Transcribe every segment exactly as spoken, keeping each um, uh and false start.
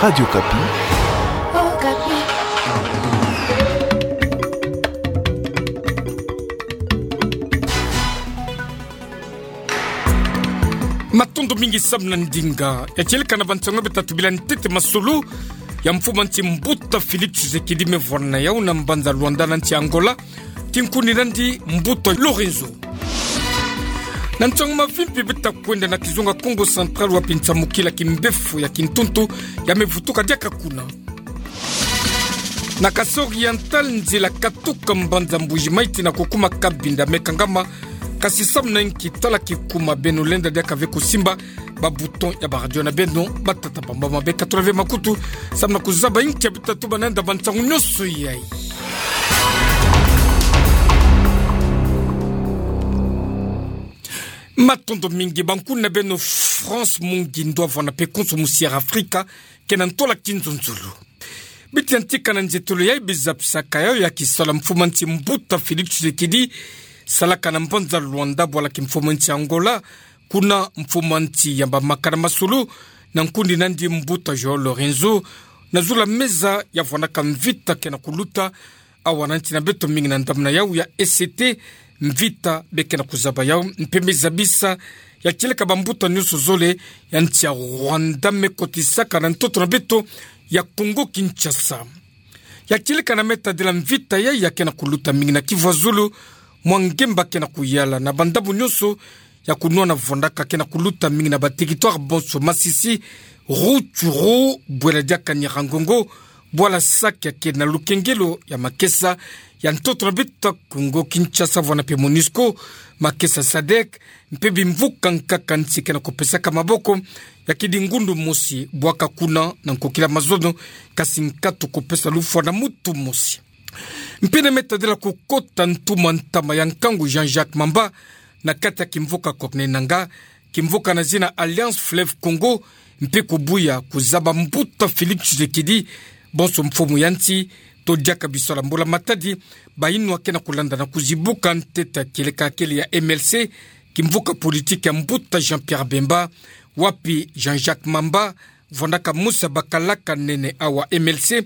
Radio Okapi. Matondo mingi samu na ndinga. Ya tieleka na bansango beto tubila ntete masolo ya mfumu a nsi mbuta Félix Tshisekedi me vwanda na yau na mbanza Luanda na nsi Angola, ti nkundi nandi mbuta Lorenzo. Na nsangu mavimpi beto kwenda na kizunga Kongo Central, wapi nsamukila kimbefo ya kintuntu ya me vutuka diaka kuna. Na Kasaï Oriental, nzila katuka mbanza Mbuji-Mayi tii na kukuma Cabinda me kangama, kasi samu na inki tala kikuma, beno lenda diaka ve kusimba ba bouton ya ba radio na beno, batata bamba mabe katula ve makutu samu na kuzaba inki ya beto tatuba na yandi na bansangu nyonso yayi. Matondo mingi. Bankundi na beno France Mungi Ndwavwa na pe konso musi ya Afrika ke na ntola kinzonzolo. Bito yantika na nzietolo yayi bizapisaka yayo ya kisalu ya mfumu a nsi mbuta Félix Tshisekedi salaka na mbanza Luanda bwala kimfumu a nsi Angola, kuna mfumu a nsi yamba maka na masolo na nkundi nandi mbuta João Lorenzo na zulu ya meza ya vwandaka mvita ke na kuluta awa na nsi na beto mingi na ndambu na yau ya E C T, mvita be ke na kuzaba yau mpe me zabisa ya tieleka bambuta nyonso zole ya nsi ya Rwanda me kotisaka na ntoto na beto ya Congo Kinshasa. Ya tieleka na me tadila mvita yayi ya ke na kuluta mingi na kivwazulu, mwa ngemba ke na kuyala na bandambu nyonso ya kunwana vwandaka ke na kuluta mingi na ba territoire bonso, Masisi, Rutshuru, bwela diaka Nyiragongo, bwala Sake ya ke na lukengelo ya makesa ya ntoto na beto Congo Kinshasa, vwanda mpe MONUSCO, makesa SADC, mpe bimvuka nkaka nsi ke na kupesaka maboko ya kidingundu mosi bwaka kuna na nkokila mazono, kasi nkatu kupesa lufwa na mutu mosi. Mpe na me tadila kukota ntumwa ntama ya nkangu Jean-Jacques Mamba na kati ya kimvuka Kokne Nanga, kimvuka na zina Alliance Fleuve Congo, mpe kubuya kuzaba mbuta Félix Tshisekedi bonso mfumu ya nsi, to diaka bisala mbula matadi bayinwa ke na kulanda na kuzibuka ntete ya kieleka kele ya M L C, kimvuka politique ya mbuta Jean-Pierre Bemba, wapi Jean-Jacques Mamba vwandaka mosi ya bakalaka nene awa M L C,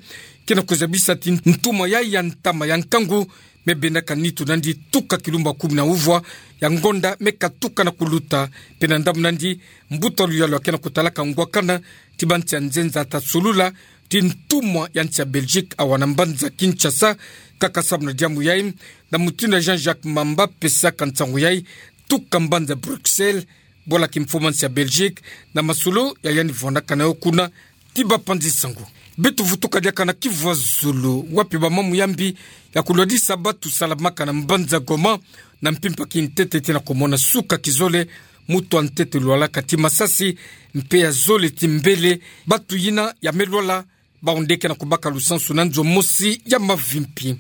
ke na kuzabisa ti ntumwa yayi ya ntama ya nkangu me bendaka nitu nandi tuka kilumbu kumi na uvwa ya ngonda me katuka na kuluta. Mpe na ndambu nandi, mbuta Luyalu ya ke na kutalaka ngwakana ti bansi ya nzenza ata solula ti ntumwa ya nsi ya Belgique awa na mbanza Kinshasa, kaka samu na diambu yayi, na mutindu ya Jean-Jacques Mamba pesaka nsangu yayi tuka mbanza Bruxelles, bwala kimfumu a nsi ya Belgique, na masolo ya yandi vwandaka na yo kuna ti bapanzi sango. Beto vutuka diaka na kivwazulu, wapi bamamu ya mbi ya kulwadisa batu salamaka na mbanza Goma, na mpimpa kintete ti na kumona suka kizole, mutu ya ntete lwalaka ti masasi, mpe ya zole ti mbele, batu yina ya me lwala, bawu nde ke na kubaka lusansu na nzo mosi ya mavimpi.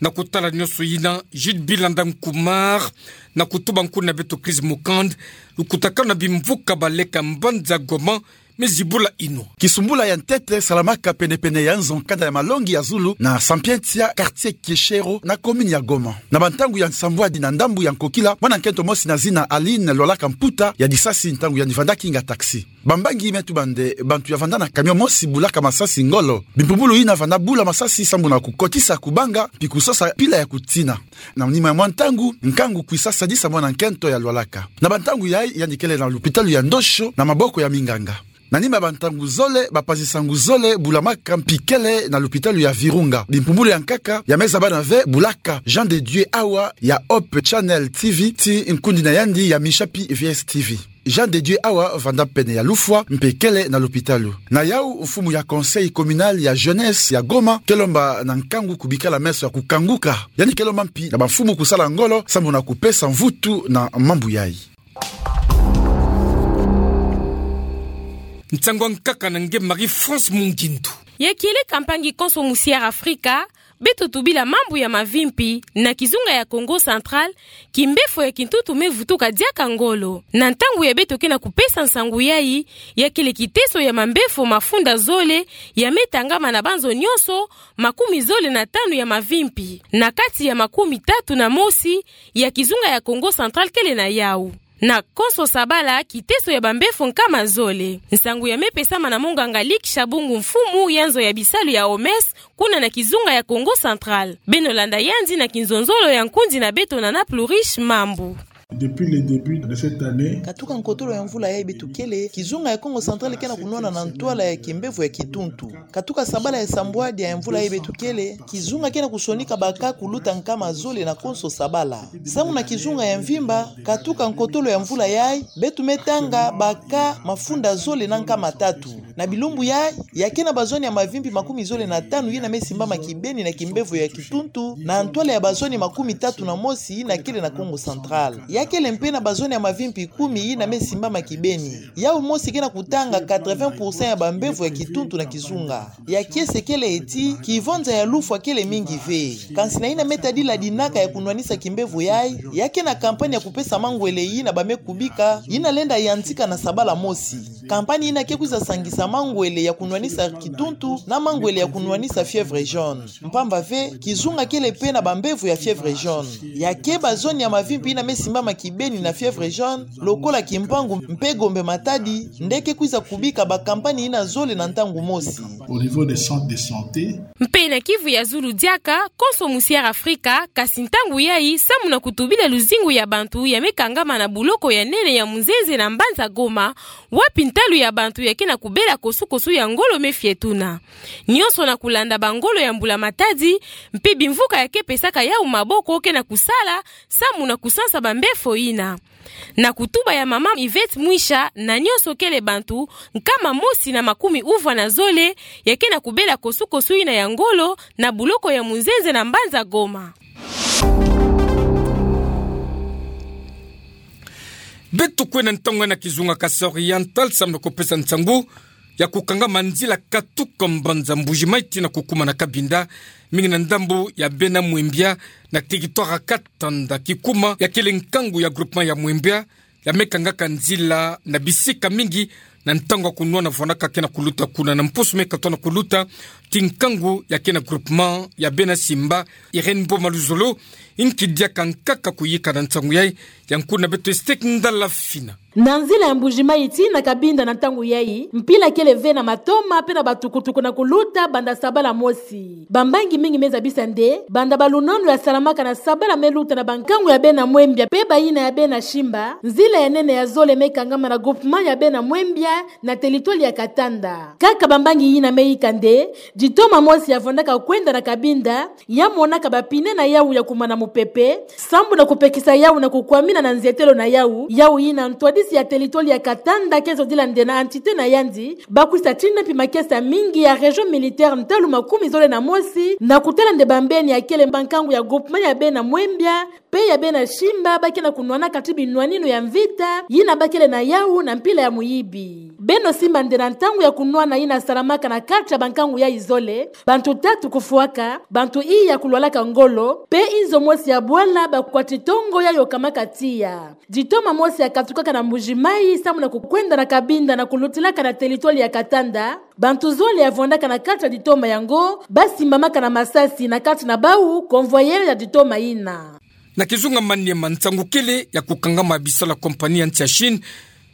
Na kutala nyonso yina, Jude Bilanda Nkumar na kutuba nkundi na beto Chris Mukand, lukutakanu na bimvuka baleka mbanza Goma me zibula inwa. Kisumbula ya ntete salamaka penepene ya nzo kanda ya malongi ya zulu na Sapientia, quartier Kieshero, na commune ya Goma. Na bantangu ya nsambwadi na ndambu ya nkokila, mwana nkento mosi na zina Aline lwalaka mputa ya disasi ntangu yandi vanda kinga taxi. Bambangi me tuba nde bantu ya vanda na camion mosi bulaka masasi ngolo. Bimpumbulu yina vanda bula masasi sambu na kukotisa kubanga, mpi kusosa pila ya kutina. Na nima ya mwa ntangu, nkangu kwisa sadisa mwana nkento ya lwalaka. Na bantangu yayi, yandi kele na lupitalu ya Ndosho na maboko ya minganga. Na nima ya bantangu zole, bapanzi sango zole bulamaka, mpi kele na lupitalu ya Virunga. Bimpumbulu ya nkaka ya me zabana ve bulaka Jean de Dieu Awa ya Hope Channel T V ti nkundi na yandi ya Misapi V S T V. Jean de Dieu Awa vanda pene ya lufwa, mpe kele na lupitalu. Na yau, mfumu ya Conseil Communal ya Jeunesse ya Goma ke lomba na nkangu kubikala meso ya kukanguka. Yandi ke lomba mpi na bamfumu kusala ngolo sambu na kupesa mvutu na mambu yayi. Nsangu ya nkaka na nge Marie-France Mungindu. Ya kieleka mpangi konso mu Sierra Africa, beto tubila mambu ya mavimpi na kizunga ya Kongo Central, kimbefo ya kintutu me vutuka diaka ngolo. Na ntangu ya beto ke na kupesa nsangu yayi, ya kele kiteso ya mambefo mafunda zole ya me tangama na banzo nyonso makumi zole na tanu ya mavimpi, na kati ya makumi tatu na mosi ya kizunga ya Kongo Central kele na yau. Na konso sabala, kiteso ya bambefo nkama zole. Nsangu ya mepesama na monganga Luc Shabungu, mfumu ya nzo ya bisalu ya O M S, kuna na kizunga ya Kongo Central. Beno landa yandi na kinzonzolo ya nkundi na beto Nana Plurish Mambu. Depuis le début de cette année, katuka nkotolo ya mvula yayi beto kele, kizunga ya Kongo Central ke na kunwana na ntwala ya kimbevo ya kituntu. Katuka sabala ya sambwadi ya mvula yayi beto kele, kizunga ke na kusonika ba cas kuluta nkama zole na konso sabala. Samu na kizunga ya mvimba, katuka nkotolo ya mvula yayi, beto me tanga ba cas mafunda zole na nkama tatu. Na bilumbu yayi, ya ke na bazoni ya mavimpi makumi zole na tanu yina me simbama kibeni na kimbevo ya kituntu, na ntwala ya bazoni makumi tatu na mosi yina kele na Kongo Central. Ya kele mpe na bazoni ya mavimpi kumi yina me simbama kibeni. Yawu mosi ke na kutanga quatre-vingts pour cent ya bambevo ya kituntu na kizunga. Ya kiese kele ti, kivonza ya lufwa kele mingi ve. Kansi na yina me tadila dinaka ya kunwanisa kimbevo yayi, ya ke na kampanye ya kupesa mangwele yina ba me kubika, yina lenda yantika na sabala mosi. Kampanye yina ke kwiza sangisa mangwele ya kunwanisa kituntu na mangwele ya kunwanisa fièvre jaune. Mpamba ve, kizunga kele mpe na bambevo ya fièvre jaune. Ya ke bazoni ya mavimpi yina me simbama kibeni na fièvre jaune, lokola Kimpangu mpe Gombe Matadi, nde ke kwiza kubika ba kampanye yina zole na ntangu mosi. Au niveau des centres de santé. Mpe na Kivu ya zulu diaka, konso musi ya Afrika, kasi ntangu yayi, samu na kutubila luzingu ya bantu ya me kangama na buloko ya nene ya Munzenze na mbanza Goma, wapi ntalu ya bantu ya ke na kubela kosukosu ya ngolo me fietuna. Nyonso na kulanda bangolo ya mbula matadi, mpe bimvuka ya ke pesaka yawu maboko ke na kusala, samu na kusansa bambefo yina. Na kutuba ya mama Yvette Mwisha, na nyonso kele bantu nkama mosi na makumi uvwa na zole, ya ke na kubela kosukosu yina ya ngolo, na buloko ya Munzenze na mbanza Goma. Beto kwenda ntangu na kizunga Kasai Oriental, samu na kupesa nsangu ya kukangama nzila katuka mbanza Mbuji-Mayi tii na kukuma na Cabinda, mingi na ndambu ya Bena-Mwembia, na territoire ya Katanda. Kikuma ya kele nkangu ya groupement ya Mwembia, ya me kangaka nzila na bisika mingi, na ntangu ya kunwana vwandaka ke na kuluta kuna. Na mpusu me katuka na kuluta tii nkangu ya ke na groupement ya Bena-Simba, Irène Boma Luzolo, inki diaka nkaka kuyika na nsangu yayi, ya nkundu na beto Estek Ndala Fina. Na nzila ya Mbuji-Mayi tii na Cabinda na ntangu yayi, mpila kele ve na matoma mpe na batukutuku na kuluta banda sabala mosi. Bambangi mingi me zabisa nde, banda balununu ya salamaka na sabala me luta na bankangu ya Bena-Mwembia mpe bayina ya Bena-Simba, nzila ya nene ya zole me kangama na groupement ya Bena-Mwembia na territoire ya Katanda. Kaka bambangi yina me yika nde, ditoma mosi ya vwandaka kwenda na Cabinda, ya monaka ba pneu na yawu ya kumana mupepe, sambu na kupekisa yawu na kukwamina na nzietelo na yawu, yawu yina ntwadisi ya territoire ya Katanda ke zodila nde na entité na yandi, ba kwisa tina mpi makesa mingi ya région militaire ntalu makumi zole na mosi, na kutala nde bambeni ya kele bankangu ya groupement ya Bena-Mwembia, mpe ya Bena-Simba ba ke na kunwanaka tii binwaninu ya mvita, yina ba kele na yawu na mpila ya muyibi. Beno simba nde na ntangu ya kunwana yina salamaka na kati ya bankangu yayi zole, bantu tatu kufwaka, bantu iya kulwalaka ngolo, mpe inzo mosi ya bwala ba kwati tongo ya yokamaka tiya. Ditoma mosi ya katukaka na Mbuji-Mayi, samu na kukwenda na Cabinda na kulutilaka na territoire ya Katanda, bantu zole ya vwandaka na kati ya ditoma yango, ba simbamaka na masasi na kati na bawu, convoyeur ya ditoma yina. Na kizunga Maniema, nsangu kele ya kukangama bisalu ya compagnie ya nsi ya Chine,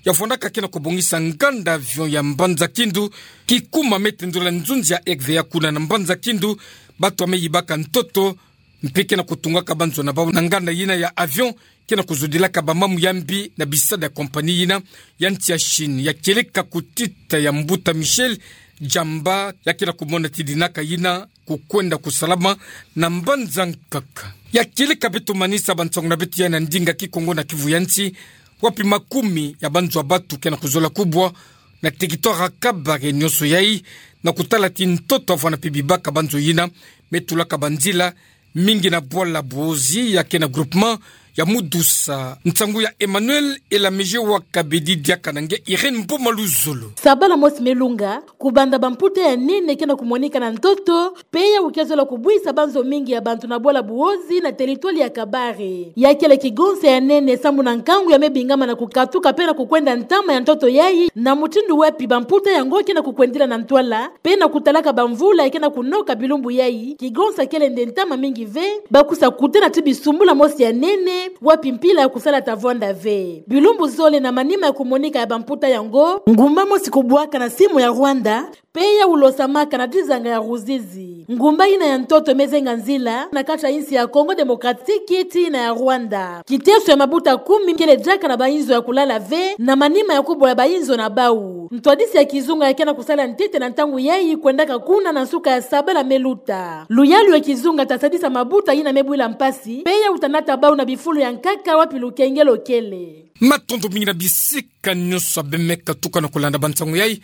ya vwandaka ke na kubongisa nganda avion ya Mbanza Kindu, kikuma me tendula nzunzi ya R V A kuna na Mbanza Kindu, bantu ya me yibaka ntoto, mpe ke na kutungaka banzo na bawu na nganda yina ya avion, ke na kuzudilaka bamamu ya mbi na bisalu ya compagnie yina ya nsi ya Chine. Ya kieleka kutita ya mbuta Michel Djamba, ya ke na kumona tii dinaka yina kukwenda kusalama na mbanza nkaka. Ya kieleka beto manisa bansangu na beto ya na ndinga Kikongo na Kivu ya nsi, wapi makumi ya banzo ya bantu ke na kuzola kubwa na territoire ya Kabare, nyonso yayi na kutala tii ntoto ya vwanda mpe bibaka banzo yina me tulaka banzila, mingi na bwala Buozi ya ke na groupement ya Mudusa. Nsangu ya Emmanuel Elamege wa Kabedi, diaka na nge Irène Mboma Luzolo. Sabala mosi me lunga, kubanda bamputa ya nene ke na kumonika na ntoto, mpe yawu ke zola kubwisa banzo mingi ya bantu na bwala Buozi na territoire ya Kabare. Ya kele kigonsa ya nene sambu na nkangu ya me bingama na kukatuka mpe na kukwenda ntama ya ntoto yayi, na mutindu wapi bamputa yango ke na kukwendila na ntwala, mpe na kutalaka bamvula ya ke na kunoka bilumbu yayi, kigonsa kele nde ntama mingi ve, ba kwisa kutana tii bisumbula mosi ya nene, wapi mpila ya kusala ta vwanda ve. Bilumbu zole na manima ya kumonika ya bamputa yango, ngumba mosi kubwaka na simu ya Rwanda, pe ya ulosamaka na dizanga ya Ruzizi. Ngumba yina ya ntoto me zenga nzila na kati ya insi ya Congo Démocratique tii na ya Rwanda. Kiteso ya mabuta kumi kele diaka na bainzo ya kulala ve, na manima ya kubwa ya bainzo na bau. Ntwadisi ya kizunga ya ke na kusala ntete na ntangu yayi kwendaka kuna na nsuka ya sabala me luta. Luyalu ya kizunga ta sadisa mabuta yina me bwila mpasi, pe ya uta nata bau na bifulu ya nkaka wapi lukengelo kele. Matondo mingi na bisika nyonso abe me katuka na kulanda bansangu yayi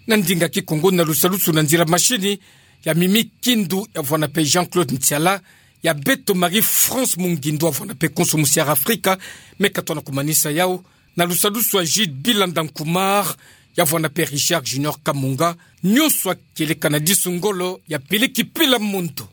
na ndinga Kikongo na lusalusu na nzila mashini ya Mimi Kindu ya vwanda pe Jean-Claude Ntiala, ya beto Marie-France Mungindu ya vwanda pe konso musi ya Afrika, me katoa na kumanisa yau na lusalusu ya Jude Bilanda Nkumar ya vwanda pe Richard Junior Kamunga, nyonso akeleka na disu ngolo ya Peleki Pela Mondo.